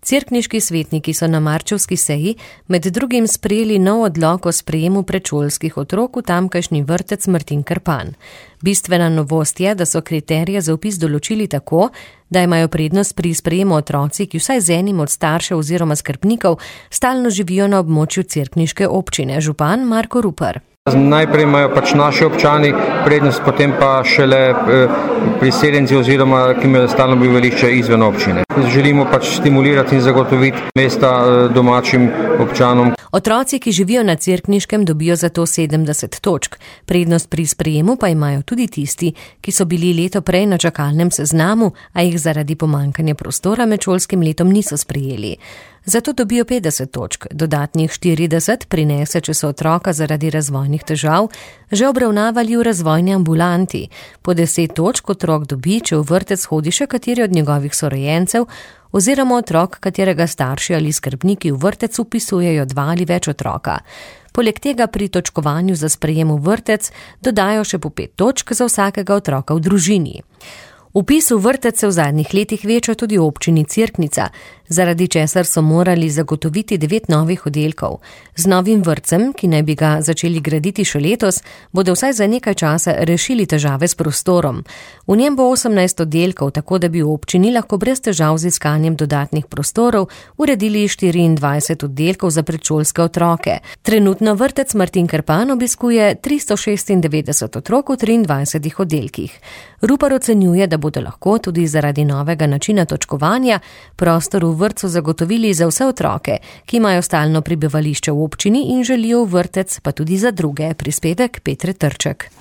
Cerkniški svetniki so na marčevski seji med drugim sprejeli nov odlok o sprejemu predšolskih otrok v tamkajšnji vrtec Martin Krpan. Bistvena novost je, da so kriterije za vpis določili tako, da imajo prednost pri sprejemu otroci, ki vsaj z enim od staršev oziroma skrbnikov stalno živijo na območju cerkniške občine. Župan Marko Rupar. Najprej imajo naši občani prednost, potem pa šele priseljenci oziroma ki imajo stalno bivališče izven občine. Želimo stimulirati in zagotoviti mesta domačim občanom. Otroci, ki živijo na Cerkniškem, dobijo zato 70 točk. Prednost pri sprejemu pa imajo tudi tisti, ki so bili leto prej na čakalnem seznamu, a jih zaradi pomanjkanja prostora med šolskim letom niso sprejeli. Zato dobijo 50 točk, dodatnih 40 prinese, če so otroka zaradi razvojnih težav že obravnavali v razvojni ambulanti. Po 10 točk otrok dobi, če v vrtec hodi še kateri od njegovih sorojencev oziroma otrok, katerega starši ali skrbniki v vrtec vpisujejo 2 ali več otroka. Poleg tega pri točkovanju za sprejem v vrtec dodajo še po 5 točk za vsakega otroka v družini. Vpis v vrtec se v zadnjih letih veča tudi v občini Cerknica, zaradi česar so morali zagotoviti 9 novih oddelkov. Z novim vrtcem, ki naj bi ga začeli graditi še letos, bodo vsaj za nekaj časa rešili težave s prostorom. V njem bo 18 oddelkov, tako da bi v občini lahko brez težav z iskanjem dodatnih prostorov uredili 24 oddelkov za predšolske otroke. Trenutno vrtec Martin Krpan obiskuje 396 otrok v 23 oddelkih. Rupar ocenjuje, da bodo lahko tudi zaradi novega načina točkovanja prostor v vrtcu zagotovili za vse otroke, ki imajo stalno prebivališče v občini in želijo v vrtec, pa tudi za druge. Prispevek Petre Trček.